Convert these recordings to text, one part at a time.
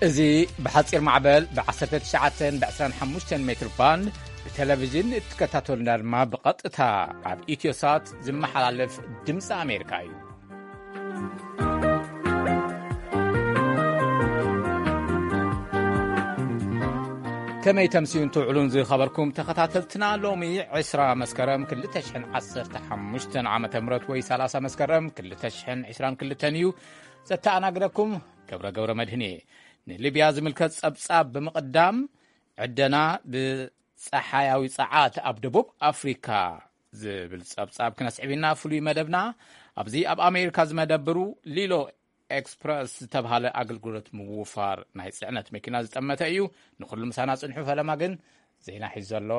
እዚ ብሓጺር ማዕበል ብ19 ብ25 ሜትር ባንድ ብቴሌቪዥን እትከታተሉና ድማ ብቐጥታ ኣብ ኢትዮሳት ዝመሓላለፍ ድምፂ ኣሜሪካ እዩ። ከመይ ተምስዩን ትውዕሉን ዝኸበርኩም ተኸታተልትና፣ ሎሚ ዕስራ መስከረም ክልተ ሽሕን ዓሰርተ ሓሙሽተን ዓመተ ምህረት ወይ ሰላሳ መስከረም ክልተ ሽሕን ዕስራን ክልተን እዩ። ዘተኣናግደኩም ገብረ ገብረ መድህን እየ። ንሊብያ ዝምልከት ጸብጻብ ብምቕዳም፣ ዕደና ብጸሓያዊ ጸዓት ኣብ ደቡብ ኣፍሪካ ዝብል ጸብጻብ ክነስዕብ ኢና። ፍሉይ መደብና ኣብዚ ኣብ ኣሜሪካ ዝመደብሩ ሊሎ ኤክስፕረስ ዝተብሃለ ኣገልግሎት ምውፋር ናይ ጽዕነት መኪና ዝጠመተ እዩ። ንኹሉ ምሳና ጽንሑ። ፈለማ ግን ዜና ሒዙ ዘሎ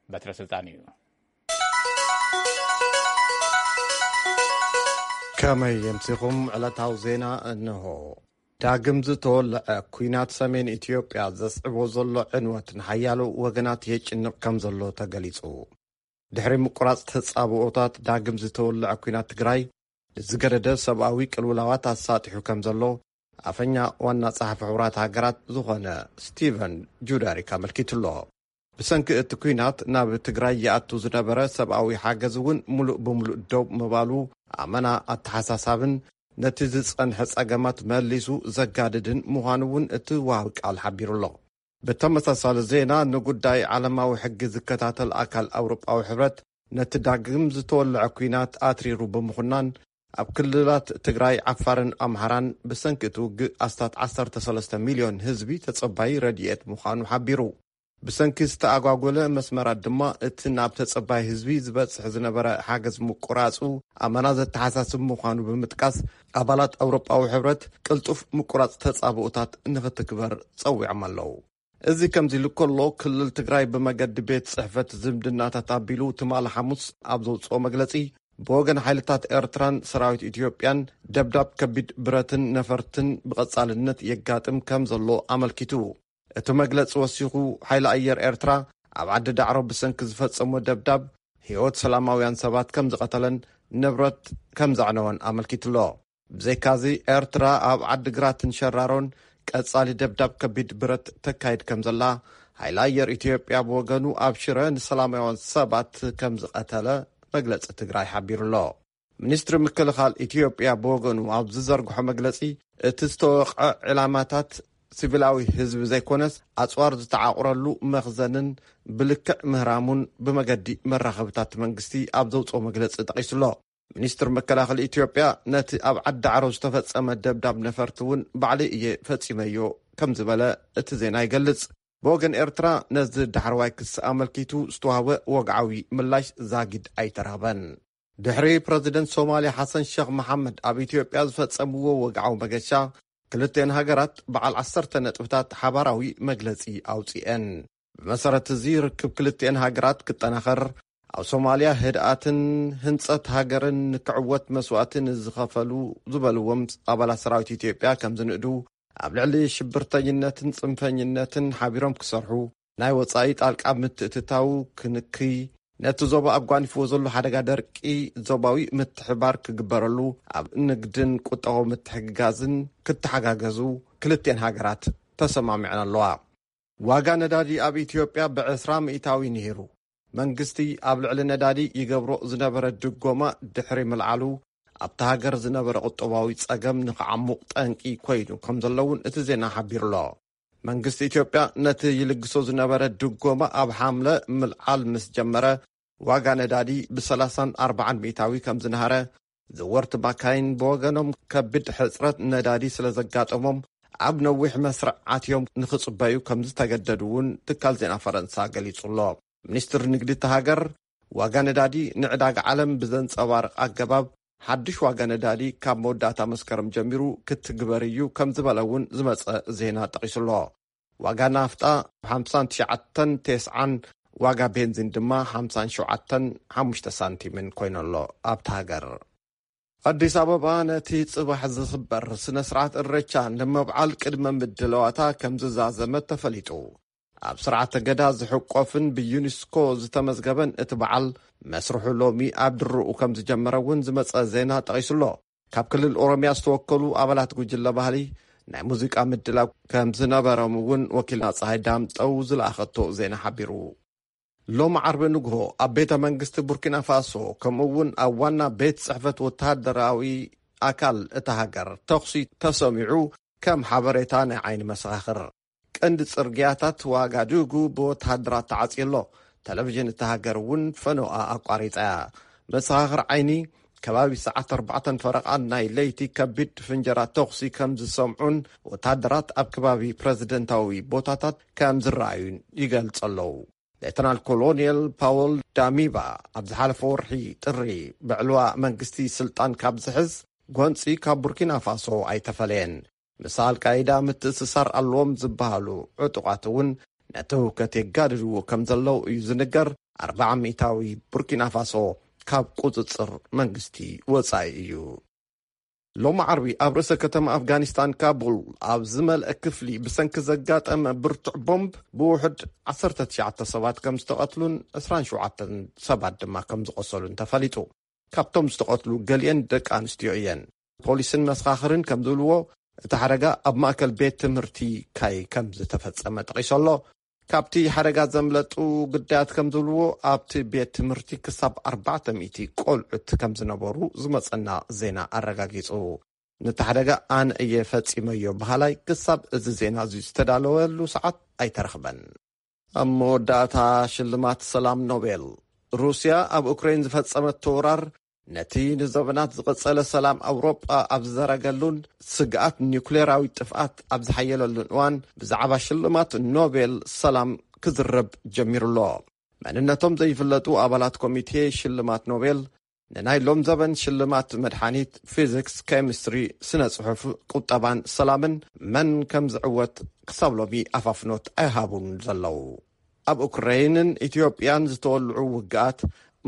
በትረ ስልጣን እዩ። ከመይ የምሲኹም? ዕለታዊ ዜና እንሆ። ዳግም ዝተወልዐ ኲናት ሰሜን ኢትዮጵያ ዘስዕቦ ዘሎ ዕንወት ንሓያሎ ወገናት የጭንቕ ከም ዘሎ ተገሊጹ። ድሕሪ ምቁራጽ ተጻብኦታት፣ ዳግም ዝተወልዐ ኲናት ትግራይ ንዝገደደ ሰብኣዊ ቅልውላዋት ኣሳጢሑ ከም ዘሎ ኣፈኛ ዋና ጸሓፊ ሕቡራት ሃገራት ዝኾነ ስቲቨን ጁዳሪክ ኣመልኪቱ ኣሎ። ብሰንኪ እቲ ኲናት ናብ ትግራይ ይኣቱ ዝነበረ ሰብኣዊ ሓገዝ እውን ምሉእ ብምሉእ ደው ምባሉ ኣመና ኣተሓሳሳብን ነቲ ዝጸንሐ ጸገማት መሊሱ ዘጋድድን ምዃኑ እውን እቲ ወሃቢ ቃል ሓቢሩ ኣሎ። ብተመሳሳሊ ዜና፣ ንጉዳይ ዓለማዊ ሕጊ ዝከታተል ኣካል ኣውሮጳዊ ሕብረት ነቲ ዳግም ዝተወልዐ ኲናት ኣትሪሩ ብምኹናን፣ ኣብ ክልላት ትግራይ፣ ዓፋርን ኣምሓራን ብሰንኪ እቲ ውግእ ኣስታት ዓሰርተ ሰለስተ ሚልዮን ህዝቢ ተጸባዪ ረድኤት ምዃኑ ሓቢሩ። ብሰንኪ ዝተኣጓጎለ መስመራት ድማ፣ እቲ ናብ ተጸባይ ህዝቢ ዝበጽሕ ዝነበረ ሓገዝ ምቁራጹ ኣመና ዘተሓሳስብ ምዃኑ ብምጥቃስ፣ ኣባላት ኣውሮጳዊ ሕብረት ቅልጡፍ ምቁራጽ ተጻብኦታት ንኽትግበር ጸዊዖም ኣለዉ። እዚ ከምዚ ኢሉ ከሎ፣ ክልል ትግራይ ብመገዲ ቤት ጽሕፈት ዝምድናታት ኣቢሉ ትማሊ ሓሙስ ኣብ ዘውጽኦ መግለጺ፣ ብወገን ሓይልታት ኤርትራን ሰራዊት ኢትዮጵያን ደብዳብ ከቢድ ብረትን ነፈርትን ብቐጻልነት የጋጥም ከም ዘሎ ኣመልኪቱ። እቲ መግለጺ ወሲኹ፣ ሓይሊ ኣየር ኤርትራ ኣብ ዓዲ ዳዕሮ ብሰንኪ ዝፈጸሞ ደብዳብ፣ ህይወት ሰላማውያን ሰባት ከም ዝቐተለን ንብረት ከም ዘዕነወን ኣመልኪቱ ኣሎ። ብዘይካዚ፣ ኤርትራ ኣብ ዓዲ ግራትን ሸራሮን ቀጻሊ ደብዳብ ከቢድ ብረት ተካይድ ከም ዘላ፣ ሓይሊ ኣየር ኢትዮጵያ ብወገኑ ኣብ ሽረ ንሰላማውያን ሰባት ከም ዝቐተለ መግለጺ ትግራይ ሓቢሩ ኣሎ። ሚኒስትሪ ምክልኻል ኢትዮጵያ ብወገኑ ኣብ ዝዘርግሖ መግለጺ፣ እቲ ዝተወቕዐ ዕላማታት ሲቪላዊ ህዝቢ ዘይኮነስ፣ ኣጽዋር ዝተዓቑረሉ መኽዘንን ብልክዕ ምህራሙን ብመገዲ መራኸብታት መንግስቲ ኣብ ዘውጽኦ መግለጺ ጠቒሱ ኣሎ። ሚኒስትር መከላኸሊ ኢትዮጵያ፣ ነቲ ኣብ ዓዲ ዓሮ ዝተፈጸመ ደብዳብ ነፈርቲ እውን ባዕለይ እየ ፈጺመዮ ከም ዝበለ እቲ ዜና ይገልጽ። ብወገን ኤርትራ፣ ነዚ ዳሕረዋይ ክሲ ኣመልኪቱ ዝተዋህበ ወግዓዊ ምላሽ ዛጊድ ኣይተራኸበን። ድሕሪ ፕረዚደንት ሶማልያ ሓሰን ሸኽ መሓመድ ኣብ ኢትዮጵያ ዝፈጸምዎ ወግዓዊ መገሻ፣ ክልቴን ሃገራት በዓል ዓሰርተ ነጥብታት ሓባራዊ መግለጺ ኣውጺኤን። ብመሰረት እዚ፣ ርክብ ክልቴን ሃገራት ክጠናኸር፣ ኣብ ሶማልያ ህድኣትን ህንጸት ሃገርን ንክዕወት መስዋእቲ ንዝኸፈሉ ዝበልዎም ኣባላት ሰራዊት ኢትዮጵያ ከም ዝንእዱ፣ ኣብ ልዕሊ ሽብርተኝነትን ጽንፈኝነትን ሓቢሮም ክሰርሑ፣ ናይ ወጻኢ ጣልቃ ምትእትታው ክንክይ፣ ነቲ ዞባ ኣጓኒፍዎ ዘሎ ሓደጋ ደርቂ ዞባዊ ምትሕባር ክግበረሉ፣ ኣብ ንግድን ቁጠባዊ ምትሕግጋዝን ክተሓጋገዙ ክልቴን ሃገራት ተሰማሚዐን ኣለዋ። ዋጋ ነዳዲ ኣብ ኢትዮጵያ ብ20% ንሂሩ። መንግስቲ ኣብ ልዕሊ ነዳዲ ይገብሮ ዝነበረ ድጎማ ድሕሪ ምልዓሉ፣ ኣብታ ሃገር ዝነበረ ቁጠባዊ ጸገም ንኽዓሙቕ ጠንቂ ኮይኑ ከም ዘሎ እውን እቲ ዜና ሓቢሩ ኣሎ። መንግስቲ ኢትዮጵያ ነቲ ይልግሶ ዝነበረ ድጎማ ኣብ ሓምለ ምልዓል ምስ ጀመረ፣ ዋጋ ነዳዲ ብ30ን ኣርባዓን ሚእታዊ ከም ዝነሃረ፣ ዘወርቲ ማካይን ብወገኖም፣ ከቢድ ሕጽረት ነዳዲ ስለ ዘጋጠሞም፣ ኣብ ነዊሕ መስርዕ ኣትዮም ንኽጽበዩ ከም ዝተገደዱ እውን ትካል ዜና ፈረንሳ ገሊጹ ኣሎ። ሚኒስትር ንግዲ እታ ሃገር፣ ዋጋ ነዳዲ ንዕዳጋ ዓለም ብዘንጸባርቕ ኣገባብ፣ ሓድሽ ዋጋ ነዳዲ ካብ መወዳእታ መስከረም ጀሚሩ ክትግበር እዩ ከም ዝበለ እውን ዝመጸ ዜና ጠቒሱ ኣሎ። ዋጋ ናፍጣ ሓምሳን ትሽዓተን ቴስዓን፣ ዋጋ ቤንዚን ድማ ሓምሳን ሸውዓተን ሓሙሽተ ሳንቲምን ኮይኑ ኣሎ ኣብታ ሃገር። ኣዲስ ኣበባ ነቲ ጽባሕ ዝኽበር ስነ ስርዓት እሬቻ ንምብዓል ቅድመ ምድላዋታ ከም ዝዛዘመት ተፈሊጡ። ኣብ ስርዓተ ገዳ ዝሕቆፍን ብዩኒስኮ ዝተመዝገበን እቲ በዓል፣ መስርሑ ሎሚ ኣብ ድርኡ ከም ዝጀመረ እውን ዝመጸ ዜና ጠቒሱ ኣሎ። ካብ ክልል ኦሮምያ ዝተወከሉ ኣባላት ጉጅለ ባህሊ፣ ናይ ሙዚቃ ምድላው ከም ዝነበሮም እውን ወኪልና ፀሃይ ዳምጠው ዝለኣኸቶ ዜና ሓቢሩ። ሎም ዓርቢ ንግሆ ኣብ ቤተ መንግስቲ ቡርኪና ፋሶ፣ ከምኡ እውን ኣብ ዋና ቤት ጽሕፈት ወተሃደራዊ ኣካል እታ ሃገር ተኹሲ ተሰሚዑ፣ ከም ሓበሬታ ናይ ዓይኒ መሰኻኽር። ቀንዲ ጽርግያታት ዋጋዱጉ ብወተሃደራት ተዓጽዩ ኣሎ። ቴሌቪዥን እታ ሃገር እውን ፈኖኣ ኣቋሪጻ እያ። መሰኻኽር ዓይኒ፣ ከባቢ ሰዓት ኣርባዕተን ፈረቓን ናይ ለይቲ ከቢድ ፍንጀራ ተኹሲ ከም ዝሰምዑን ወተሃደራት ኣብ ከባቢ ፕረዚደንታዊ ቦታታት ከም ዝረኣዩን ይገልጹ ኣለዉ። ሌተናል ኮሎኔል ፓወል ዳሚባ ኣብ ዝሓለፈ ወርሒ ጥሪ ብዕልዋ መንግስቲ ስልጣን ካብ ዝሕዝ ጎንጺ ካብ ቡርኪና ፋሶ ኣይተፈለየን። ምስ ኣልቃይዳ ምትእስሳር ኣለዎም ዝበሃሉ ዕጡቓት እውን ነቲ ህውከት የጋድድዎ ከም ዘለዉ እዩ ዝንገር። ኣርባዓ ሚእታዊ ቡርኪና ፋሶ ካብ ቁጽጽር መንግስቲ ወጻኢ እዩ። ሎም ዓርቢ ኣብ ርእሰ ከተማ ኣፍጋኒስታን ካቡል ኣብ ዝመልአ ክፍሊ ብሰንኪ ዘጋጠመ ብርቱዕ ቦምብ ብውሑድ ዓሰርተ ትሽዓተ ሰባት ከም ዝተቐትሉን ዕስራን ሸውዓተን ሰባት ድማ ከም ዝቖሰሉን ተፈሊጡ። ካብቶም ዝተቐትሉ ገሊአን ደቂ ኣንስትዮ እየን። ፖሊስን መሰኻኽርን ከም ዝብልዎ፣ እቲ ሓደጋ ኣብ ማእከል ቤት ትምህርቲ ካይ ከም ዝተፈጸመ ጠቒሱ ኣሎ። ካብቲ ሓደጋ ዘምለጡ ግዳያት ከም ዝብልዎ፣ ኣብቲ ቤት ትምህርቲ ክሳብ ኣርባዕተ ሚእቲ ቆልዑት ከም ዝነበሩ ዝመጸና ዜና ኣረጋጊጹ። ነቲ ሓደጋ ኣነ እየ ፈጺመዮ በሃላይ ክሳብ እዚ ዜና እዚ ዝተዳለወሉ ሰዓት ኣይተረኽበን። ኣብ መወዳእታ፣ ሽልማት ሰላም ኖቤል። ሩስያ ኣብ ኡክሬን ዝፈጸመቶ ወራር፣ ነቲ ንዘበናት ዝቐጸለ ሰላም ኣውሮጳ ኣብ ዝዘረገሉን ስግኣት ኒውክሌራዊ ጥፍኣት ኣብ ዝሓየለሉን እዋን፣ ብዛዕባ ሽልማት ኖቤል ሰላም ክዝረብ ጀሚሩ ኣሎ። መንነቶም ዘይፍለጡ ኣባላት ኮሚቴ ሽልማት ኖቤል፣ ንናይ ሎም ዘበን ሽልማት መድሓኒት፣ ፊዚክስ፣ ኬሚስትሪ፣ ስነ ጽሑፍ፣ ቁጠባን ሰላምን መን ከም ዝዕወት ክሳብ ሎሚ ኣፋፍኖት ኣይሃቡን ዘለዉ። ኣብ ኡክረይንን ኢትዮጵያን ዝተወልዑ ውግኣት፣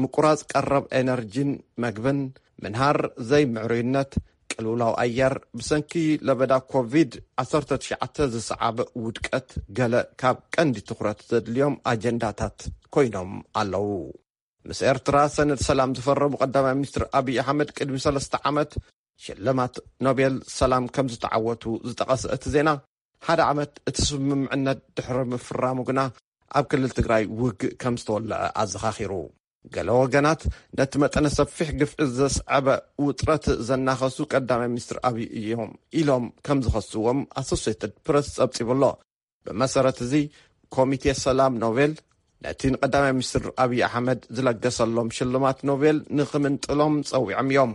ምቁራጽ ቀረብ ኤነርጂን መግብን፣ ምንሃር ዘይምዕሩይነት፣ ቅልውላው ኣየር፣ ብሰንኪ ለበዳ ኮቪድ ዓሰርተ ትሽዓተ ዝሰዓበ ውድቀት፣ ገለ ካብ ቀንዲ ትኹረት ዘድልዮም ኣጀንዳታት ኮይኖም ኣለዉ። ምስ ኤርትራ ሰነድ ሰላም ዝፈረሙ ቀዳማይ ሚኒስትር ኣብይ ኣሕመድ፣ ቅድሚ ሰለስተ ዓመት ሽልማት ኖቤል ሰላም ከም ዝተዓወቱ ዝጠቐሰ እቲ ዜና፣ ሓደ ዓመት እቲ ስምምዕነት ድሕሪ ምፍራሙ ግና፣ ኣብ ክልል ትግራይ ውግእ ከም ዝተወለዐ ኣዘኻኺሩ። ገለ ወገናት፣ ነቲ መጠነ ሰፊሕ ግፍዒ ዘስዐበ ውጥረት ዘናኸሱ ቀዳማይ ሚኒስትር ኣብይ እዮም ኢሎም ከም ዝኸስዎም ኣሶሴትድ ፕረስ ጸብጺቡ ኣሎ። ብመሰረት እዚ፣ ኮሚቴ ሰላም ኖቤል ነቲ ንቀዳማይ ሚኒስትር ኣብይ ኣሕመድ ዝለገሰሎም ሽልማት ኖቤል ንኽምንጥሎም ጸዊዖም እዮም።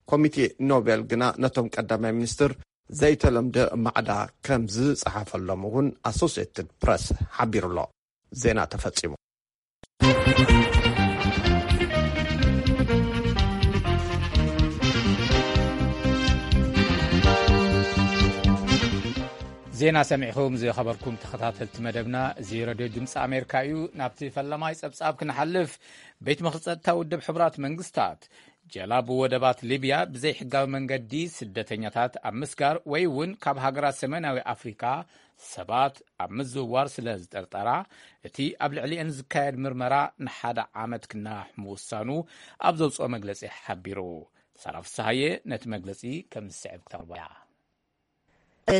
ኮሚቴ ኖቤል ግና ነቶም ቀዳማይ ሚኒስትር ዘይተለምደ ማዕዳ ከም ዝጸሓፈሎም እውን ኣሶሲየትድ ፕረስ ሓቢሩ ኣሎ። ዜና ተፈጺሙ። ዜና ሰሚዕኹም ዝኸበርኩም ተኸታተልቲ መደብና፣ እዚ ረድዮ ድምፂ ኣሜሪካ እዩ። ናብቲ ፈለማይ ፀብፃብ ክንሓልፍ፣ ቤት ምኽሪ ፀጥታ ውድብ ሕቡራት መንግስታት፣ ጀላቡ ወደባት ሊብያ ብዘይሕጋዊ መንገዲ ስደተኛታት ኣብ ምስጋር ወይ እውን ካብ ሃገራት ሰሜናዊ ኣፍሪካ ሰባት ኣብ ምዝውዋር ስለ ዝጠርጠራ፣ እቲ ኣብ ልዕሊአን ዝካየድ ምርመራ ንሓደ ዓመት ክናዋሕ ምውሳኑ ኣብ ዘውፅኦ መግለፂ ሓቢሩ። ሳራ ፍስሃየ ነቲ መግለፂ ከም ዝስዕብ ክተቕርቦ እያ።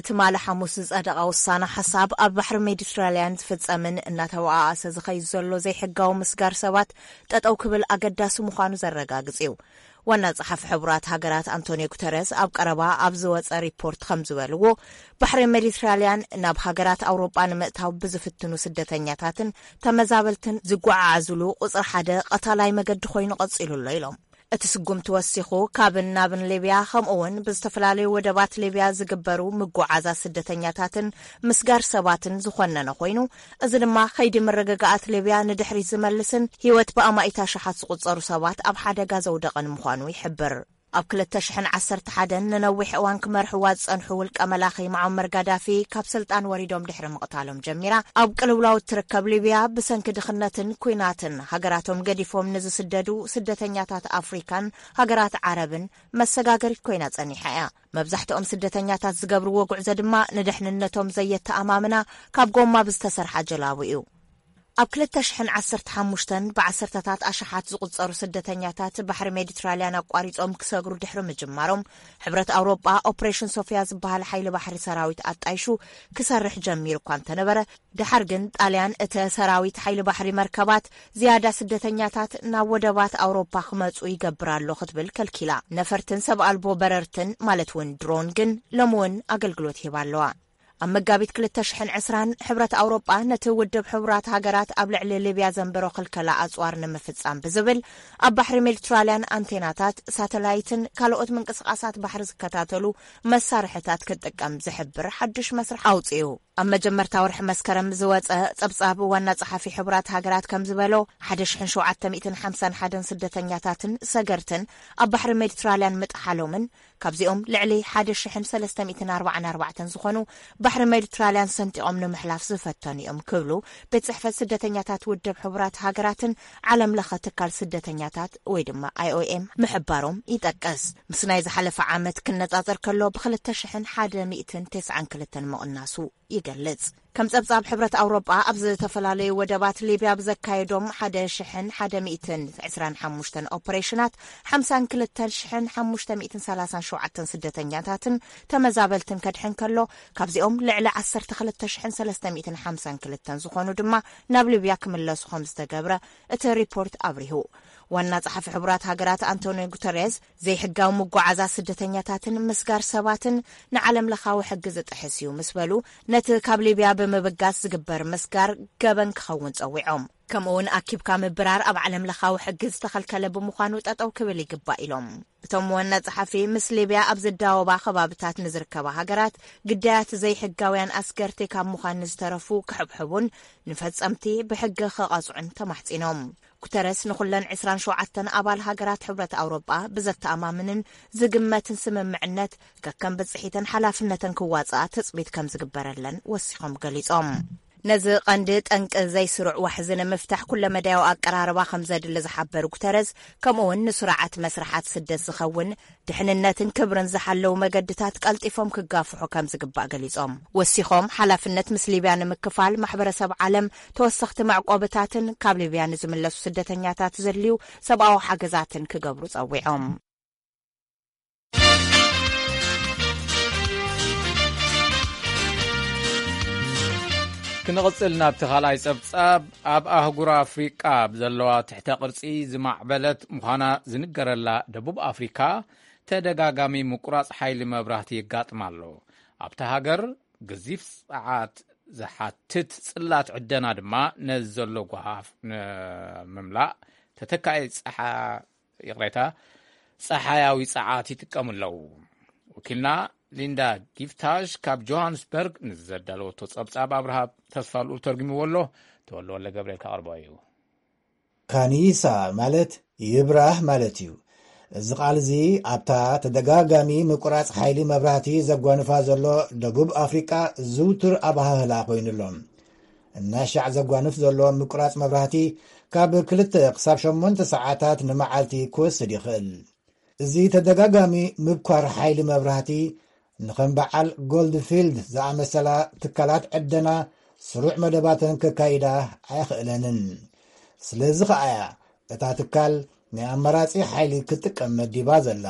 ትማሊ ሓሙስ ዝጸደቐ ውሳነ ሓሳብ፣ ኣብ ባሕሪ ሜዲትራልያን ዝፍጸምን እናተባኣሰ ዝኸይድ ዘሎ ዘይሕጋዊ ምስጋር ሰባት ጠጠው ክብል ኣገዳሲ ምዃኑ ዘረጋግጽ እዩ። ዋና ጸሓፊ ሕቡራት ሃገራት ኣንቶኒዮ ጉተረስ ኣብ ቀረባ ኣብ ዝወጸ ሪፖርት ከም ዝበልዎ፣ ባሕሪ ሜዲትራልያን ናብ ሃገራት ኣውሮጳ ንምእታው ብዝፍትኑ ስደተኛታትን ተመዛበልትን ዝጓዓዓዝሉ ቁጽሪ ሓደ ቀታላይ መገዲ ኮይኑ ቀጺሉ ኣሎ ኢሎም። እቲ ስጉምቲ ወሲኹ፣ ካብን ናብን ሊብያ ከምኡ እውን ብዝተፈላለዩ ወደባት ሊብያ ዝግበሩ ምጉዓዛ ስደተኛታትን ምስጋር ሰባትን ዝኾነነ ኮይኑ፣ እዚ ድማ ከይዲ ምርግጋኣት ሊብያ ንድሕሪት ዝመልስን ህይወት ብኣማኢት ኣሽሓት ዝቑጸሩ ሰባት ኣብ ሓደጋ ዘውደቐን ምዃኑ ይሕብር። ኣብ ክልተ ሽሕን ዓሰርተ ሓደን ንነዊሕ እዋን ክመርሕዋ ዝጸንሑ ውልቀ መላኺ መዓመር ጋዳፊ ካብ ስልጣን ወሪዶም ድሕሪ ምቕታሎም ጀሚራ፣ ኣብ ቅልውላው እትርከብ ሊብያ ብሰንኪ ድኽነትን ኲናትን ሃገራቶም ገዲፎም ንዝስደዱ ስደተኛታት ኣፍሪካን ሃገራት ዓረብን መሰጋገሪት ኮይና ጸኒሓ እያ። መብዛሕትኦም ስደተኛታት ዝገብርዎ ጉዕዞ ድማ ንድሕንነቶም ዘየተኣማምና ካብ ጎማ ብዝተሰርሓ ጀላቡ እዩ። ኣብ ክልተ ሽሕን ዓሰርተ ሓሙሽተን ብዓሰርተታት ኣሽሓት ዝቑጸሩ ስደተኛታት ባሕሪ ሜዲትራልያን ኣቋሪጾም ክሰግሩ ድሕሪ ምጅማሮም፣ ሕብረት ኣውሮጳ ኦፕሬሽን ሶፊያ ዝበሃል ሓይሊ ባሕሪ ሰራዊት ኣጣይሹ ክሰርሕ ጀሚሩ እኳ እንተነበረ፣ ድሓር ግን ጣልያን እቲ ሰራዊት ሓይሊ ባሕሪ መርከባት ዝያዳ ስደተኛታት ናብ ወደባት ኣውሮጳ ክመጹ ይገብር ኣሎ ክትብል ከልኪላ። ነፈርትን ሰብ ኣልቦ በረርትን ማለት እውን ድሮን ግን ሎሚ እውን ኣገልግሎት ይህባ ኣለዋ። ኣብ መጋቢት ክልተ ሽሕን ዕስራን ሕብረት ኣውሮጳ ነቲ ውድብ ሕቡራት ሃገራት ኣብ ልዕሊ ሊብያ ዘንበሮ ክልከላ ኣጽዋር ንምፍጻም ብዝብል ኣብ ባሕሪ ሜዲትራልያን ኣንቴናታት፣ ሳተላይትን ካልኦት ምንቅስቓሳት ባሕሪ ዝከታተሉ መሳርሕታት ክጥቀም ዝሕብር ሓድሽ መስርሕ ኣውጺኡ። ኣብ መጀመርታ ወርሒ መስከረም ዝወጸ ጸብጻብ ዋና ጸሓፊ ሕቡራት ሃገራት ከም ዝበሎ፣ ሓደ ሽሕን ሸውዓተ ሚእትን ሓምሳን ሓደን ስደተኛታትን ሰገርትን ኣብ ባሕሪ ሜዲትራልያን ምጥሓሎምን ካብዚኦም ልዕሊ ሓደ ሽሕን ሰለስተ ሚእትን ኣርባዓን ኣርባዕተን ዝኾኑ ባሕሪ ሜዲትራልያን ሰንጢቖም ንምሕላፍ ዝፈተኑ እዮም ክብሉ ቤት ጽሕፈት ስደተኛታት ውድብ ሕቡራት ሃገራትን ዓለም ለኸ ትካል ስደተኛታት ወይ ድማ ኣይ ኦ ኤም ምሕባሮም ይጠቅስ። ምስ ናይ ዝሓለፈ ዓመት ክነጻጸር ከሎ ብክልተ ሽሕን ሓደ ሚእትን ተስዓን ክልተን ምቕናሱ ይገልጽ። ከም ጸብጻብ ሕብረት ኣውሮጳ ኣብ ዝተፈላለዩ ወደባት ሊብያ ብዘካየዶም ሓደ ሽሕን ሓደ ሚእትን ዕስራን ሓሙሽተን ኦፐሬሽናት ሓምሳን ክልተ ሽሕን ሓሙሽተ ሚእትን ሰላሳን ሸውዓተን ስደተኛታትን ተመዛበልትን ከድሕን ከሎ፣ ካብዚኦም ልዕሊ ዓሰርተ ክልተ ሽሕን ሰለስተ ሚእትን ሓምሳን ክልተን ዝኾኑ ድማ ናብ ሊብያ ክምለሱ ከም ዝተገብረ እቲ ሪፖርት ኣብሪሁ። ዋና ጸሓፊ ሕቡራት ሃገራት ኣንቶኒዮ ጉተሬዝ፣ ዘይሕጋዊ ምጓዓዛ ስደተኛታትን ምስጋር ሰባትን ንዓለም ለኻዊ ሕጊ ዝጥሕስ እዩ ምስ በሉ፣ ነቲ ካብ ሊብያ ብምብጋስ ዝግበር ምስጋር ገበን ክኸውን ጸዊዖም። ከምኡውን ኣኪብካ ምብራር ኣብ ዓለም ለኻዊ ሕጊ ዝተኸልከለ ብምዃኑ ጠጠው ክብል ይግባእ ኢሎም። እቶም ዋና ጸሓፊ፣ ምስ ሊብያ ኣብ ዝዳወባ ከባብታት ንዝርከባ ሃገራት ግዳያት ዘይሕጋውያን ኣስገርቲ ካብ ምዃን ንዝተረፉ ክሕብሕቡን ንፈጸምቲ ብሕጊ ክቐጽዑን ተማሕጺኖም። ጉተረስ ንኹለን ዕስራን ሸውዓተን ኣባል ሃገራት ሕብረት ኣውሮጳ ብዘተኣማምንን ዝግመትን ስምምዕነት ከከም ብጽሒተን ሓላፍነተን ክዋጽኣ ትጽቢት ከም ዝግበረለን ወሲኾም ገሊጾም። ነዚ ቀንዲ ጠንቂ ዘይስሩዕ ዋሕዚ ንምፍታሕ ኩለመዳያዊ ኣቀራርባ ከም ዘድሊ ዝሓበሩ ጉተረዝ፣ ከምኡ እውን ንስርዓት መስርሓት ስደት ዝኸውን ድሕንነትን ክብርን ዝሓለዉ መገድታት ቀልጢፎም ክጋፍሑ ከም ዝግባእ ገሊጾም። ወሲኾም፣ ሓላፍነት ምስ ሊብያ ንምክፋል ማሕበረሰብ ዓለም ተወሰኽቲ መዕቆብታትን ካብ ሊብያ ንዝምለሱ ስደተኛታት ዘድልዩ ሰብኣዊ ሓገዛትን ክገብሩ ጸዊዖም። ክንቕጽል ናብቲ ካልኣይ ጸብጻብ፣ ኣብ ኣህጉር ኣፍሪቃ ብዘለዋ ትሕተ ቅርጺ ዝማዕበለት ምዃና ዝንገረላ ደቡብ ኣፍሪካ፣ ተደጋጋሚ ምቁራጽ ሓይሊ መብራህቲ የጋጥማ ኣሎ። ኣብታ ሃገር፣ ገዚፍ ጸዓት ዝሓትት ጽላት ዕደና ድማ ነዚ ዘሎ ጓሃፍ ንምምላእ ተተካኢ ጸሓ-፣ ይቕሬታ፣ ጸሓያዊ ጸዓት ይጥቀሙ ኣለዉ። ወኪልና ሊንዳ ጊፍታሽ ካብ ጆሃንስበርግ ንዘዳለወቶ ጸብጻብ ኣብርሃ ተስፋ ልኡል ተርጉምዎ ኣሎ። ተወልደ ወልደ ገብርኤል ከቕርቦ እዩ። ካኒሳ ማለት ይብራህ ማለት እዩ። እዚ ቃል እዚ ኣብታ ተደጋጋሚ ምቁራጽ ሓይሊ መብራህቲ ዘጓንፋ ዘሎ ደቡብ ኣፍሪቃ ዝውቱር ኣበሃህላ ኮይኑ ኣሎ። እናሻዕ ዘጓንፍ ዘሎ ምቁራጽ መብራህቲ ካብ ክልተ ክሳብ ሸሞንተ ሰዓታት ንመዓልቲ ክወስድ ይኽእል። እዚ ተደጋጋሚ ምብኳር ሓይሊ መብራህቲ ንኸም በዓል ጎልድፊልድ ዝኣመሰላ ትካላት ዕደና ስሩዕ መደባተን ከካይዳ ኣየኽእለንን። ስለዚ ኸኣ እያ እታ ትካል ናይ ኣማራጺ ሓይሊ ክትጥቀም መዲባ ዘላ።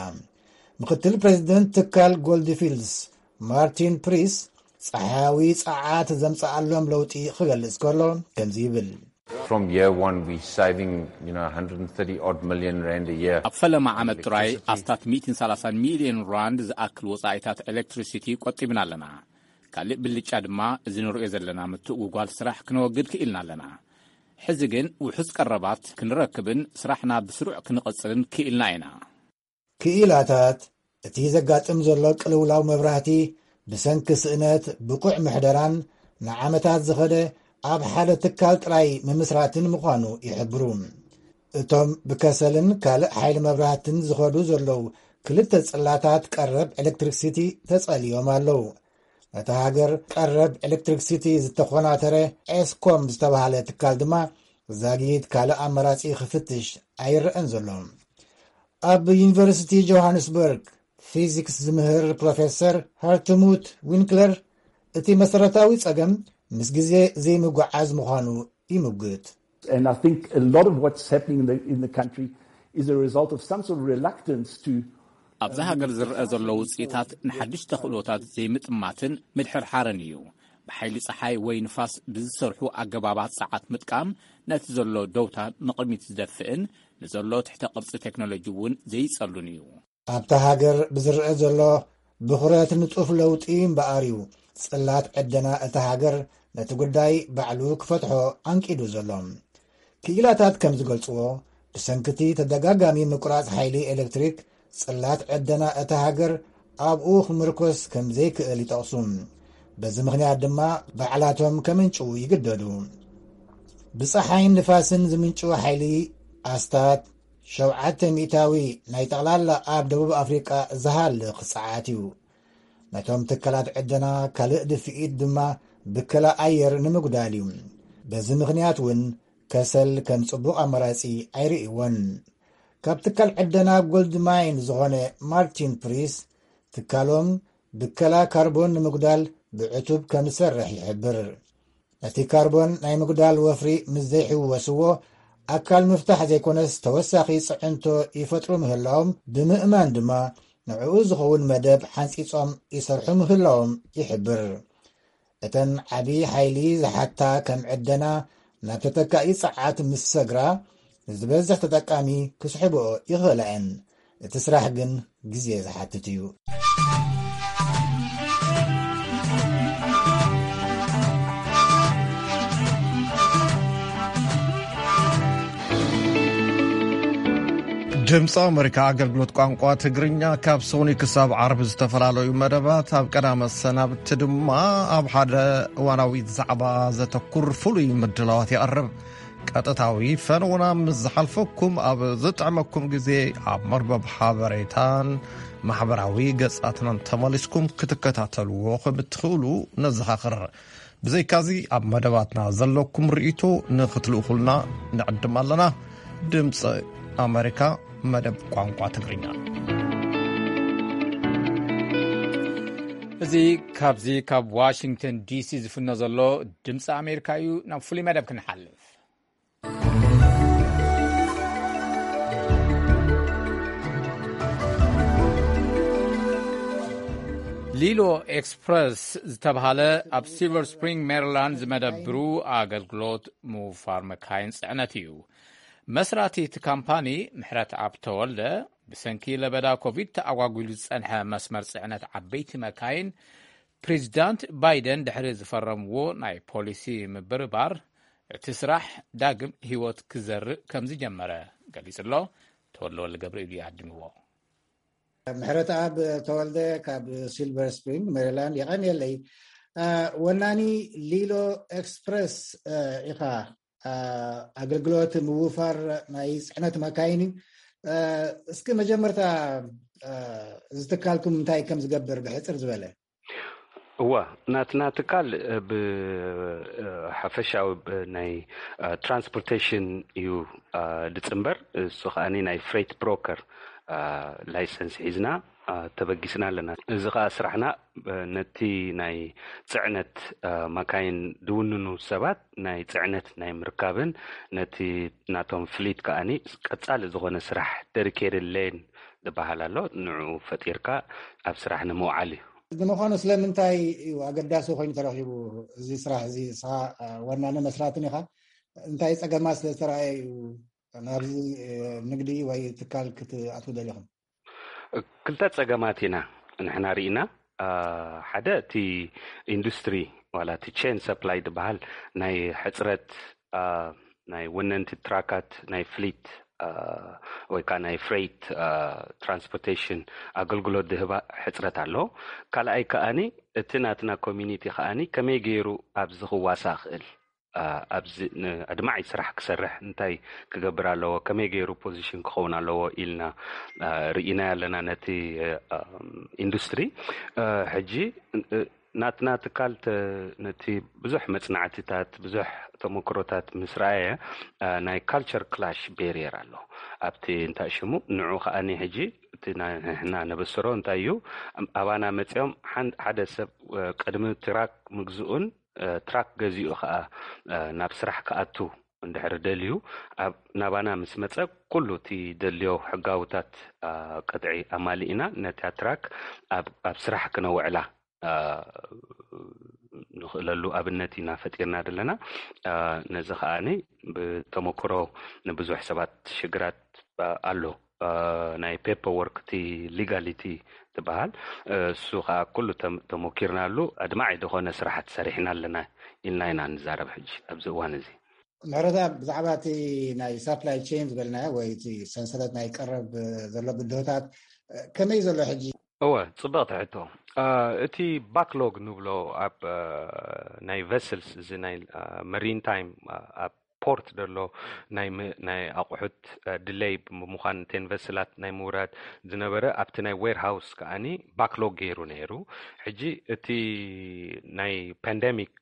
ምኽትል ፕሬዚደንት ትካል ጎልድፊልድስ ማርቲን ፕሪስ ጸሓያዊ ጸዓት ዘምጽኣሎም ለውጢ ክገልጽ ከሎ ከምዚ ይብል። From year one, we're saving, you know, one hundred thirty odd million rand a year. ኣብ ፈለማ ዓመት ጥራይ ኣስታት ሚእትን ሰላሳን ሚልዮን ራንድ ዝኣክል ወጻኢታት ኤሌክትሪሲቲ ቆጢብና ኣለና። ካልእ ብልጫ ድማ፣ እዚ ንርእዮ ዘለና ምትእጉጓል ስራሕ ክነወግድ ክኢልና ኣለና። ሕዚ ግን ውሑስ ቀረባት ክንረክብን ስራሕና ብስሩዕ ክንቕጽልን ክኢልና ኢና። ክኢላታት፣ እቲ ዘጋጥም ዘሎ ቅልውላው መብራህቲ ብሰንኪ ስእነት ብቑዕ ምሕደራን ንዓመታት ዝኸደ ኣብ ሓደ ትካል ጥራይ ምምስራትን ምዃኑ ይሕብሩ። እቶም ብከሰልን ካልእ ሓይሊ መብራህትን ዝኸዱ ዘለዉ ክልተ ጽላታት ቀረብ ኤሌክትሪክሲቲ ተጸልዮም ኣለዉ። ነታ ሃገር ቀረብ ኤሌክትሪክሲቲ ዝተኾናተረ ኤስኮም ዝተባህለ ትካል ድማ ዛጊት ካልእ ኣማራጺ ክፍትሽ ኣይረኣን ዘሎ። ኣብ ዩኒቨርሲቲ ጆሃንስበርግ ፊዚክስ ዝምህር ፕሮፌሰር ሃርትሙት ዊንክለር፣ እቲ መሰረታዊ ጸገም ምስ ግዜ ዘይምጉዓዝ ምዃኑ ይምጉት። And I think a lot of what's happening in the, in the country is a result of some sort of reluctance to ኣብዛ ሃገር ዝረአ ዘሎ ውፅኢታት ንሓድሽ ተኽእሎታት ዘይምጥማትን ምድሕርሓርን እዩ። ብሓይሊ ፀሓይ ወይ ንፋስ ብዝሰርሑ ኣገባባት ፀዓት ምጥቃም ነቲ ዘሎ ደውታ ንቕድሚት ዝደፍእን ንዘሎ ትሕተ ቅርፂ ቴክኖሎጂ እውን ዘይፀሉን እዩ። ኣብታ ሃገር ብዝረአ ዘሎ ብኹረት ንጡፍ ለውጢ እምበኣር እዩ። ጽላት ዕደና እታ ሃገር ነቲ ጉዳይ ባዕሉ ክፈትሖ ኣንቂዱ ዘሎ። ክኢላታት ከም ዝገልጽዎ፣ ብሰንክቲ ተደጋጋሚ ምቁራጽ ሓይሊ ኤሌክትሪክ፣ ጽላት ዕደና እታ ሃገር ኣብኡ ክምርኮስ ከም ዘይክእል ይጠቕሱ። በዚ ምኽንያት ድማ ባዕላቶም ከምንጭዉ ይግደዱ። ብጸሓይን ንፋስን ዝምንጭዉ ሓይሊ ኣስታት ሸውዓተ ሚእታዊ ናይ ጠቕላላ ኣብ ደቡብ ኣፍሪቃ ዝሃልኽ ጸዓት እዩ። ነቶም ትካላት ዕደና ካልእ ድፍኢት ድማ ብከላ ኣየር ንምጉዳል እዩ። በዚ ምኽንያት እውን ከሰል ከም ጽቡቕ ኣማራጺ ኣይርእይዎን። ካብ ትካል ዕደና ጎልድ ማይን ዝኾነ ማርቲን ፕሪስ፣ ትካሎም ብከላ ካርቦን ንምጉዳል ብዕቱብ ከም ዝሰርሕ ይሕብር። ነቲ ካርቦን ናይ ምጉዳል ወፍሪ ምስ ዘይሕወስዎ፣ ኣካል ምፍታሕ ዘይኮነስ ተወሳኺ ጽዕንቶ ይፈጥሩ ምህላዎም ብምእማን ድማ፣ ንዕኡ ዝኸውን መደብ ሓንጺጾም ይሰርሑ ምህላዎም ይሕብር። እተን ዓቢ ሓይሊ ዝሓታ ከም ዕደና ናብ ተተካኢ ጸዓት ምስ ሰግራ፣ ንዝበዝሕ ተጠቃሚ ክስሕብኦ ይኽእላ እየን። እቲ ስራሕ ግን ግዜ ዝሓትት እዩ። ድምፂ ኣመሪካ ኣገልግሎት ቋንቋ ትግርኛ ካብ ሶኒ ክሳብ ዓርቢ ዝተፈላለዩ መደባት፣ ኣብ ቀዳመ ሰናብቲ ድማ ኣብ ሓደ እዋናዊ ዛዕባ ዘተኩር ፍሉይ ምድላዋት የቕርብ። ቀጥታዊ ፈነውና ምስ ዝሓልፈኩም፣ ኣብ ዝጥዕመኩም ግዜ ኣብ መርበብ ሓበሬታን ማሕበራዊ ገጻትናን ተመሊስኩም ክትከታተልዎ ከም እትኽእሉ ነዘኻኽር። ብዘይካዚ ኣብ መደባትና ዘለኩም ርእይቶ ንኽትልእኹልና ንዕድም ኣለና። ድምፂ ኣመሪካ መደብ ቋንቋ ትግርኛ። እዚ ካብዚ ካብ ዋሽንግተን ዲሲ ዝፍኖ ዘሎ ድምፂ ኣሜሪካ እዩ። ናብ ፍሉይ መደብ ክንሓልፍ። ሊሎ ኤክስፕረስ ዝተብሃለ ኣብ ሲልቨር ስፕሪንግ ሜሪላንድ ዝመደብሩ ኣገልግሎት ምውፋር መካይን ጽዕነት እዩ። መስራቲ እቲ ካምፓኒ ምሕረት ኣብ ተወልደ፣ ብሰንኪ ለበዳ ኮቪድ ተኣጓጒሉ ዝጸንሐ መስመር ጽዕነት ዓበይቲ መካይን ፕሬዚዳንት ባይደን ድሕሪ ዝፈረምዎ ናይ ፖሊሲ ምብርባር፣ እቲ ስራሕ ዳግም ህይወት ክዘርእ ከም ዝጀመረ ገሊጹ ኣሎ። ተወልደ ወልደገብርኤል እዩ ኣድሚዎ። ምሕረተኣብ ተወልደ ካብ ሲልቨር ስፕሪንግ ሜሪላንድ የቐንየለይ። ወናኒ ሊሎ ኤክስፕረስ ኢኻ። ኣገልግሎት ምውፋር ናይ ጽዕነት መካይን እዩ። እስኪ መጀመርታ እዚ ትካልኩም እንታይ ከም ዝገብር ብሕጽር ዝበለ። እዋ፣ ናትና ትካል ብሓፈሻዊ ናይ ትራንስፖርቴሽን እዩ ዝጽንበር። እሱ ከኣ ናይ ፍሬት ብሮከር ላይሰንስ ሒዝና ተበጊስና ኣለና። እዚ ከኣ ስራሕና ነቲ ናይ ጽዕነት መካይን ዝውንኑ ሰባት ናይ ጽዕነት ናይ ምርካብን ነቲ ናቶም ፍሊት ከኣ ቀጻሊ ዝኾነ ስራሕ ደዲኬትድ ሌን ዝበሃል ኣሎ። ንዕኡ ፈጢርካ ኣብ ስራሕ ንምውዓል እዩ። ንምዃኑ ስለምንታይ እዩ ኣገዳሲ ኮይኑ ተረኺቡ እዚ ስራሕ እዚ? ንስኻ ዋናን መስራትን ኢኻ። እንታይ ጸገማት ስለ ዝተረኣየ እዩ ናብዚ ንግዲ ወይ ትካል ክትኣትዉ ደሊኹም? ክልተ ጸገማት ኢና ንሕና ርኢና። ሓደ እቲ ኢንዱስትሪ ዋላ እቲ ቼን ሰፕላይ ዝበሃል ናይ ሕጽረት ናይ ወነንቲ ትራካት ናይ ፍሊት ወይ ከዓ ናይ ፍሬት ትራንስፖርቴሽን ኣገልግሎት ዝህባ ሕፅረት ኣሎ። ካልኣይ ከኣኒ እቲ ናትና ኮሚኒቲ ከኣኒ ከመይ ገይሩ ኣብዚ ክዋሳእ ክእል፣ ኣብዚ ኣድማዒ ስራሕ ክሰርሕ እንታይ ክገብር ኣለዎ፣ ከመይ ገይሩ ፖዚሽን ክኸውን ኣለዎ ኢልና ርኢና ኣለና ነቲ ኢንዱስትሪ። ሕጂ ናትና ትካል ነቲ ብዙሕ መጽናዕትታት ብዙሕ ተመክሮታት ምስ ረኣየ፣ ናይ ካልቸር ክላሽ ቤሪየር ኣሎ ኣብቲ እንታይ ሽሙ ንዑ ከኣኒ ሕጂ እቲ ንሕና ነበስሮ እንታይ እዩ፣ ኣባና መጺኦም ሓደ ሰብ ቅድሚ ትራክ ምግዝኡን ትራክ ገዚኡ ከዓ ናብ ስራሕ ክኣቱ እንድሕር ደልዩ፣ ናባና ምስ መፀ፣ ኩሉ እቲ ደልዮ ሕጋውታት ቅጥዒ ኣማሊእና ነታ ትራክ ኣብ ስራሕ ክነውዕላ ንኽእለሉ ኣብነት ኢና ፈጢርና ዘለና። ነዚ ከዓኒ ብተመክሮ ንብዙሕ ሰባት ሽግራት ኣሎ። ናይ ፔፐር ወርክ፣ እቲ ሊጋሊቲ ትበሃል፣ እሱ ከዓ ኩሉ ተመኪርናሉ፣ ኣድማዒ ዝኾነ ስራሕቲ ሰሪሕና ኣለና ኢልና ኢና ንዛረብ ሕጂ ኣብዚ እዋን እዚ። ምሕረታ፣ ብዛዕባ እቲ ናይ ሳፕላይ ቼን ዝበልናዮ ወይ እቲ ሰንሰለት ናይ ቀረብ ዘሎ ብድሆታት ከመይ ዘሎ ሕጂ? እወ፣ ጽብቕቲ ሕቶ። እቲ ባክሎግ ንብሎ ኣብ ናይ ቨስልስ፣ እዚ ናይ መሪን ታይም ኣብ ፖርት ዘሎ ናይ ኣቑሑት ድለይ ብምዃን፣ እተን ቨስላት ናይ ምውራድ ዝነበረ ኣብቲ ናይ ዌርሃውስ ከዓኒ ባክሎግ ገይሩ ነይሩ። ሕጂ እቲ ናይ ፓንደሚክ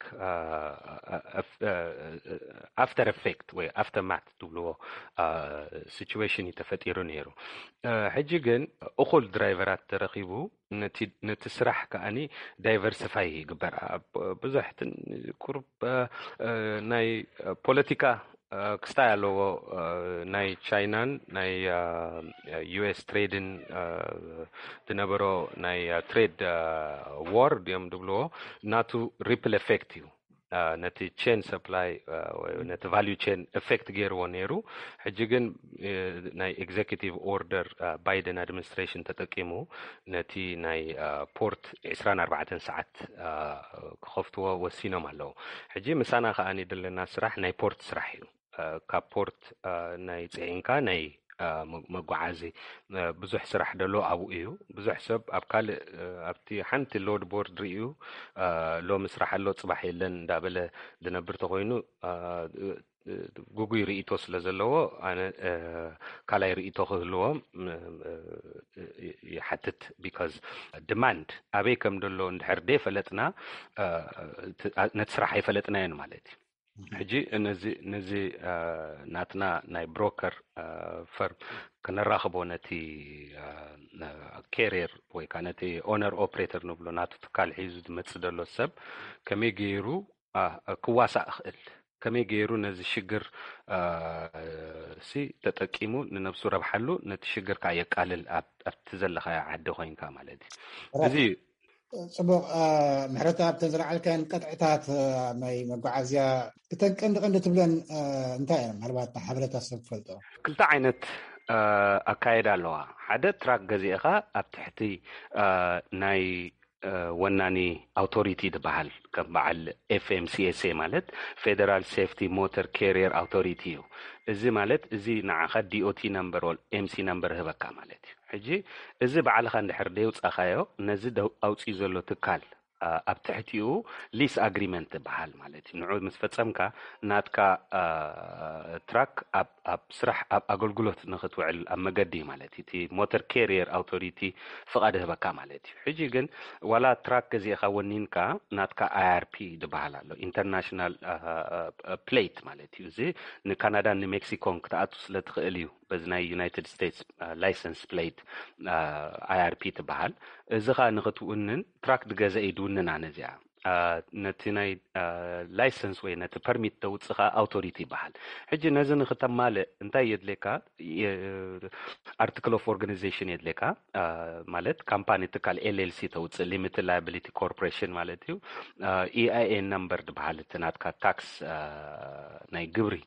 ኣፍተር ኤፌክት ወይ ኣፍተርማት ትብልዎ ሲቹዌሽን እዩ ተፈጢሩ ነይሩ። ሕጂ ግን እኹል ድራይቨራት ተረኺቡ ነቲ ስራሕ ከዓኒ ዳይቨርሲፋይ ይግበር። ብዙሕ ቁሩብ ናይ ፖለቲካ ክስታይ ኣለዎ። ናይ ቻይናን ናይ ዩኤስ ትሬድን ዝነበሮ ናይ ትሬድ ዋር ድዮም ዝብልዎ፣ ናቱ ሪፕል ኤፌክት እዩ። ነቲ ቼን ሰፕላይ፣ ነቲ ቫሉ ቼን ኤፌክት ገይርዎ ነይሩ። ሕጂ ግን ናይ ኤግዜኪቲቭ ኦርደር ባይደን ኣድሚኒስትሬሽን ተጠቂሙ ነቲ ናይ ፖርት ዕስራን ኣርባዕተን ሰዓት ክኸፍትዎ ወሲኖም ኣለዉ። ሕጂ ምሳና ከዓኒ ዘለና ስራሕ ናይ ፖርት ስራሕ እዩ። ካብ ፖርት ናይ ፅዒንካ ናይ መጓዓዚ ብዙሕ ስራሕ ደሎ ኣብኡ እዩ። ብዙሕ ሰብ ኣብ ካልእ ኣብቲ ሓንቲ ሎድ ቦርድ ርእዩ ሎሚ ስራሕ ኣሎ ፅባሕ የለን እንዳበለ ዝነብር ተኮይኑ፣ ጉጉይ ርእቶ ስለ ዘለዎ፣ ኣነ ካልኣይ ርእቶ ክህልዎም ይሓትት። ቢካዝ ዲማንድ ኣበይ ከም ደሎ እንድሕር ደይፈለጥና፣ ነቲ ስራሕ ኣይፈለጥናዮን ማለት እዩ። ሕጂ ነዚ ነዚ ናትና ናይ ብሮከር ፈርም ክነራኽቦ፣ ነቲ ካሪየር ወይ ከዓ ነቲ ኦነር ኦፕሬተር ንብሎ ናቱ ትካል ሒዙ ዝመፅእ ዘሎ ሰብ ከመይ ገይሩ ክዋሳእ ክእል፣ ከመይ ገይሩ ነዚ ሽግር ሲ ተጠቂሙ ንነብሱ ረብሓሉ፣ ነቲ ሽግር ከዓ የቃልል፣ ኣብቲ ዘለኻዮ ዓዲ ኮይንካ ማለት እዩ። እዚ እዩ። ፅቡቕ። ምሕረታ፣ ኣብተን ዝለዓልካን ቀጥዕታት ናይ መጓዓዝያ፣ እተን ቀንዲ ቀንዲ ትብለን እንታይ እየን? ምናልባት ሓበሬታ ሰብ ትፈልጦ። ክልተ ዓይነት ኣካየዳ ኣለዋ። ሓደ ትራክ ገዚእኻ ኣብ ትሕቲ ናይ ወናኒ ኣውቶሪቲ ዝበሃል፣ ከም በዓል ኤፍኤምሲኤስኤ ማለት ፌደራል ሴፍቲ ሞተር ካሪየር ኣውቶሪቲ እዩ። እዚ ማለት እዚ ንዓኻ ዲኦቲ ነምበር ወል ኤምሲ ነምበር ህበካ ማለት እዩ። ሕጂ እዚ ባዕልኻ እንድሕር ደይውፃኻዮ፣ ነዚ ኣውፅኡ ዘሎ ትካል ኣብ ትሕቲኡ ሊስ ኣግሪመንት ትበሃል ማለት እዩ። ንዑ ምስ ፈፀምካ፣ ናትካ ትራክ ኣብ ስራሕ፣ ኣብ ኣገልግሎት ንክትውዕል ኣብ መገዲ ማለት እዩ። እቲ ሞተር ካሪየር ኣውቶሪቲ ፍቓድ ህበካ ማለት እዩ። ሕጂ ግን ዋላ ትራክ ገዚእኻ ወኒንካ፣ ናትካ ኣይኣርፒ ዝበሃል ኣሎ፣ ኢንተርናሽናል ፕሌት ማለት እዩ። እዚ ንካናዳን ንሜክሲኮን ክትኣቱ ስለ ትኽእል እዩ በዚ ናይ ዩናይትድ ስቴትስ ላይሰንስ ፕሌት ኣይኣርፒ ትበሃል። እዚ ኸኣ ንኽትውንን ትራክ ድገዘ እዩ ድውንና ነዚኣ። ነቲ ናይ ላይሰንስ ወይ ነቲ ፐርሚት ተውፅእ ኸኣ ኣውቶሪቲ ይበሃል። ሕጂ ነዚ ንኽተማልእ እንታይ የድልየካ? ኣርቲክል ኦፍ ኦርጋናይዜሽን የድልየካ። ማለት ካምፓኒ ትካል ኤልኤልሲ ተውፅእ፣ ሊሚትድ ላያቢሊቲ ኮርፖሬሽን ማለት እዩ። ኢኣይኤን ነምበር ዝበሃል እቲ ናትካ ታክስ ናይ ግብሪ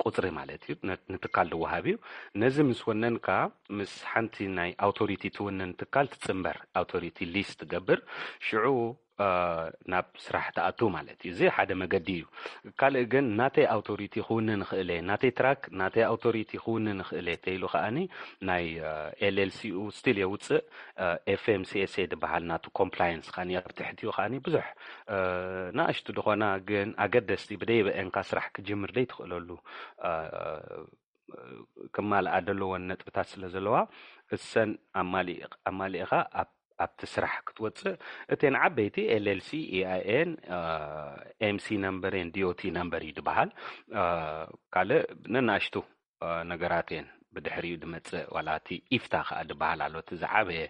ቁፅሪ ማለት እዩ፣ ንትካል ዝወሃብ እዩ። ነዚ ምስ ወነንካ፣ ምስ ሓንቲ ናይ ኣውቶሪቲ ትውንን ትካል ትፅምበር፣ ኣውቶሪቲ ሊስ ትገብር። ሽዑ ናብ ስራሕ ትኣቱ ማለት እዩ። እዚ ሓደ መገዲ እዩ። ካልእ ግን ናተይ ኣውቶሪቲ ክውንን ይኽእል እየ፣ ናተይ ትራክ ናተይ ኣውቶሪቲ ክውንን ይኽእል እየ ተይሉ ከዓኒ ናይ ኤልኤልሲኡ ስቲል የውፅእ። ኤፍኤምሲኤስኤ ዝበሃል ናቱ ኮምፕላየንስ ከዓኒ ኣብ ትሕቲኡ ከዓኒ ብዙሕ ንኣሽቱ ዝኾና ግን ኣገደስቲ ብደይበአንካ ስራሕ ክጅምር ደይትኽእለሉ ክማልኣ ዘለዎን ነጥብታት ስለ ዘለዋ፣ እሰን ኣማሊእኻ ኣብቲ ስራሕ ክትወፅእ፣ እተን ዓበይቲ ኤልኤልሲ፣ ኢኣይኤን፣ ኤምሲ ነምበር ን ዲኦቲ ነምበር እዩ ዝበሃል። ካልእ ነናእሽቱ ነገራት እየን። ብድሕሪኡ ድመጽእ ዋላ እቲ ኢፍታ ከኣ ድበሃል ኣሎ። እቲ ዝዓበየ፣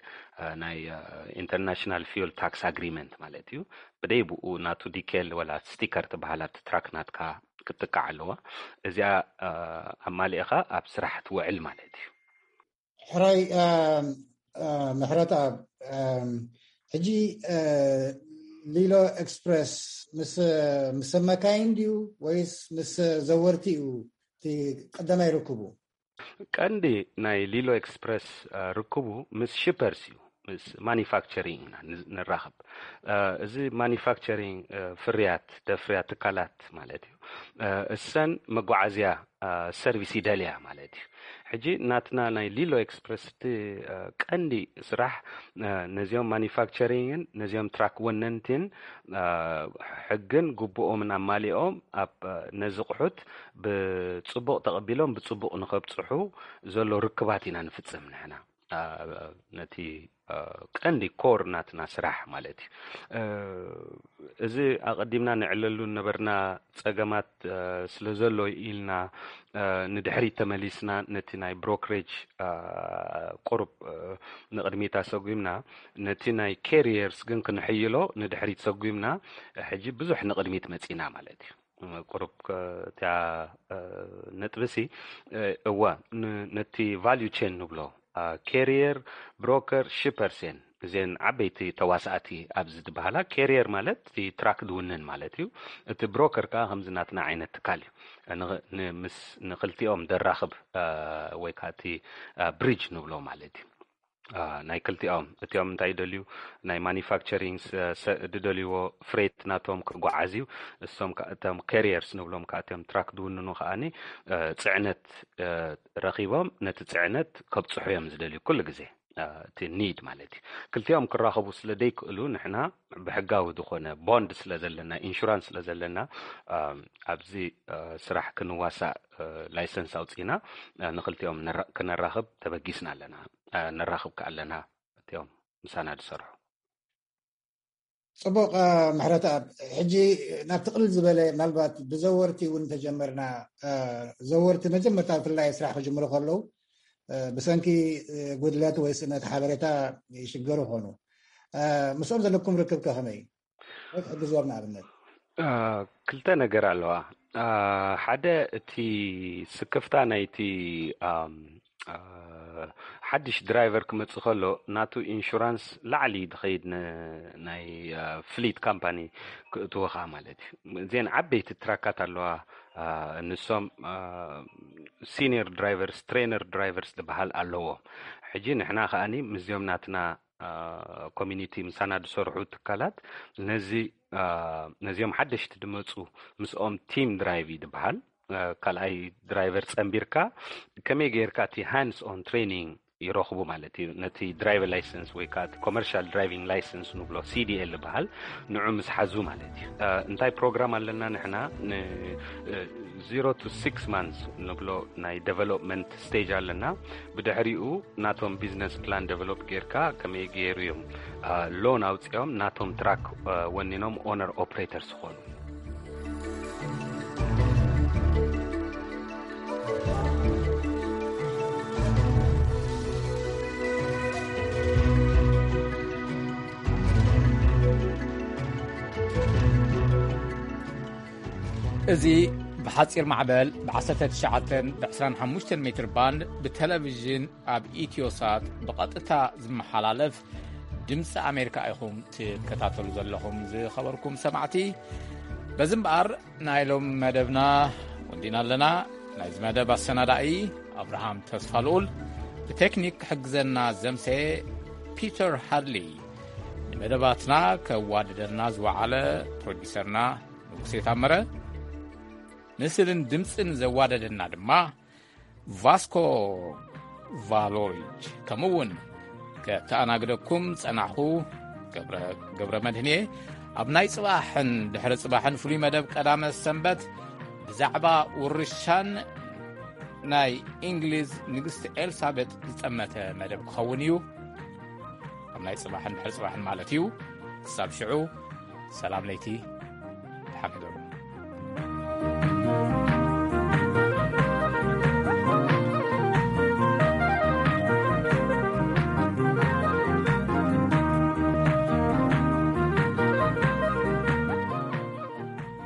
እ፣ ናይ፣ እ፣ ኢንተርናሽናል ፊውል ታክስ ኣግሪመንት ማለት እዩ። ብደይ ብኡ ናቱ ዲኬል ወላ ስቲከር ትበሃል ኣብቲ ትራክ ናትካ ክትጥቃዕ ኣለዋ። እዚኣ፣ እ፣ ኣማሊእኻ ኣብ ስራሕ ትውዕል ማለት እዩ። ሕራይ፣ እ፣ እ፣ ምሕረት ኣብ፣ እ፣ ሕጂ፣ እ፣ ሊሎ ኤክስፕረስ ምስ፣ ምስ ሰብ መካይን ድዩ ወይስ ምስ ዘወርቲ እዩ እቲ ቀዳማይ ርክቡ? ቀንዲ ናይ ሊሎ ኤክስፕረስ፣ እ፣ ርክቡ ምስ ሽፐርስ እዩ፣ ምስ ማኒፋክቸሪንግ ኢና ን-፣ ንራኸብ። እ፣ እዚ ማኒፋክቸሪንግ፣ እ፣ ፍርያት፣ ደፍርያት ትካላት ማለት እዩ። እ፣ እሰን መጓዓዝያ፣ እ፣ ሰርቪስ ይደልያ ማለት እዩ። ሕጂ ናትና ናይ ሊሎ ኤክስፕረስ እቲ፣ እ፣ ቀንዲ ስራሕ፣ እ፣ ነዚኦም ማኒፋክቸሪንግን ነዚኦም ትራክ ወነንቲን፣ እ፣ ሕግን ግቡኦምን ኣማሊኦም ኣብ፣ እ፣ ነዚ ኣቑሑት ብጽቡቕ ተቐቢሎም ብጽቡቕ ንኸብጽሑ ዘሎ ርክባት ኢና ንፍጽም ንሕና። እ፣ ነቲ፣ እ፣ ቀንዲ ኮር ናትና ስራሕ ማለት እዩ። እ፣ እዚ ኣቐዲምና ንዕለሉ ነበርና ጸገማት፣ እ፣ ስለ ዘሎ ኢልና፣ እ፣ ንድሕሪት ተመሊስና ነቲ ናይ ብሮክሬጅ፣ እ፣ ቁሩብ፣ እ፣ ንቕድሚት ኣሰጒምና፣ ነቲ ናይ ካሪየርስ ግን ክንሕይሎ ንድሕሪት ሰጒምና፣ ሕጂ ብዙሕ ንቕድሚት መጺና ማለት እዩ። ቁሩብ ከ-፣ እቲያ፣ እ፣ ነጥብሲ፣ እ፣ እወ፣ ን-፣ ነቲ ቫልዩ ቼን ንብሎ፣ እ፣ ካሪየር፣ ብሮከር፣ ሽፐርስ እየን። እዚአን ዓበይቲ ተዋሳእቲ ኣብዚ ዝበሃላ። ካሪየር ማለት እቲ ትራክ ድውንን ማለት እዩ። እቲ ብሮከር ከኣ ከምዚ ናትና ዓይነት ትካል እዩ። ን-፣ ን-፣ ምስ፣ ንኽልቲኦም ደራኽብ፣ እ፣ ወይ ከኣ እቲ፣ እ፣ ብሪጅ ንብሎ ማለት እዩ። እ፣ ናይ ክልቲኦም፣ እቲኦም እንታይ ይደልዩ፣ ናይ ማኒፋክቸሪንግ ስ-፣ ስ-፣ ዝደልይዎ ፍሬት ናቶም ክጓዓዝ እዩ። እሶም ከ-፣ እቶም ካሪየርስ ንብሎም ከኣ እቶም ትራክ ድውንኑ ከኣኒ፣ እ፣ ጽዕነት፣ እ፣ ረኺቦም ነቲ ጽዕነት ከብጽሑ እዮም ዝደልዩ ኩሉ ግዜ። እ፣ እቲ ኒድ ማለት እዩ። ክልቲኦም ክራኸቡ ስለ ደይክእሉ ንሕና ብሕጋዊ ዝኾነ ቦንድ ስለ ዘለና፣ ኢንሹራንስ ስለ ዘለና፣ እ፣ ኣብዚ፣ እ፣ ስራሕ ክንዋሳእ፣ እ፣ ላይሰንስ ኣውጺእና፣ እ፣ ንክልቲኦም ነራ-፣ ክነራኽብ ተበጊስና ኣለና። እ፣ ነራኽብ ከኣ ኣለና እቲኦም ምሳና ዝሰርሑ። ጽቡቕ፣ እ፣ ምሕረተኣብ። ሕጂ ናብቲ ቅልል ዝበለ፣ ምናልባት ብዘወርቲ እውን ተጀመርና፣ እ፣ ዘወርቲ መጀመርታ ብፍላይ ስራሕ ክጅምሩ ከለዉ፣ እ፣ ብሰንኪ፣ እ፣ ጉድለት ወይ ስእነት ሓበሬታ ይሽገሩ ኾኑ። እ፣ ምስኦም ዘለኩም ርክብ ከ ከመይ? ወይ ትሕግዝዎም ንኣብነት? እ፣ ክልተ ነገር ኣለዋ። እ፣ ሓደ እቲ ስክፍታ ናይቲ፣ ኣም፣ እ፣ ሓድሽ ድራይቨር ክመጽእ ከሎ ናቱ ኢንሹራንስ ላዕሊ ድኸይድ ን-፣ ናይ፣ እ፣ ፍሊት ካምፓኒ ክእትወኻ ማለት እዩ። እዚአን ዓበይቲ ትራካት ኣለዋ። እ፣ ንሶም፣ እ፣ ሲኒየር ድራይቨርስ፣ ትሬነር ድራይቨርስ ዝበሃል ኣለዎ። ሕጂ ንሕና ከኣኒ ምስዚኦም ናትና፣ እ፣ ኮሚኒቲ ምሳና ዝሰርሑ ትካላት ነዚ፣ እ፣ ነዚኦም ሓደሽቲ ድመጹ ምስኦም ቲም ድራይቭ እዩ ዝበሃል። እ፣ ካልኣይ ድራይቨር ጸንቢርካ ከመይ ጌርካ እቲ ሃንድስ ኦን ትሬኒንግ ይረኽቡ ማለት እዩ። ነቲ ድራይቨር ላይሰንስ ወይ ከዓ እቲ ኮመርሻል ድራይቪንግ ላይሰንስ ንብሎ፣ ሲ ዲ ኤል ዝበሃል፣ ንዑ ምስ ሓዙ ማለት እዩ። እ፣ እንታይ ፕሮግራም ኣለና ንሕና? ን-፣ እ፣ ዜሮ ቱ ሲክስ ማንስ ንብሎ ናይ ዴቨሎፕመንት ስቴጅ ኣለና። ብድሕሪኡ ናቶም ቢዝነስ ፕላን ዴቨሎፕ ጌርካ ከመይ ገይሩ እዮም፣ እ፣ ሎን ኣውፂኦም ናቶም ትራክ፣ እ፣ ወኒኖም ኦነር ኦፕሬተር ዝኾኑ። እዚ ብሓጺር ማዕበል ብ19 ብ25 ሜትር ባንድ ብቴሌቪዥን ኣብ ኢትዮሳት ብቐጥታ ዝመሓላለፍ ድምፂ ኣሜሪካ ኢኹም ትከታተሉ ዘለኹም ዝኸበርኩም ሰማዕቲ። በዚ እምበኣር ናይ ሎም መደብና ወዲና ኣለና። ናይዚ መደብ ኣሰናዳኢ ኣብርሃም ተስፋ ልኡል፣ ብቴክኒክ ክሕግዘና ዘምሰየ ፒተር ሃድሊ፣ ንመደባትና ከዋድደና ዝወዓለ ፕሮዲሰርና ንጉሴ ታመረ፣ ምስልን ድምፅን ዘዋደደና ድማ ቫስኮ ቫሎሪች፣ ከምኡ እውን ከተኣናግደኩም ጸናሕኹ ገብረ፣ ገብረ መድህን እየ። ኣብ ናይ ጽባሕን ድሕሪ ጽባሕን ፍሉይ መደብ ቀዳመ ሰንበት ብዛዕባ ውርሻን ናይ እንግሊዝ ንግስቲ ኤልሳቤጥ ዝጠመተ መደብ ክኸውን እዩ። ኣብ ናይ ጽባሕን ድሕሪ ጽባሕን ማለት እዩ። ክሳብ ሽዑ ሰላም ለይቲ፣ ደሓን ሕደሩ።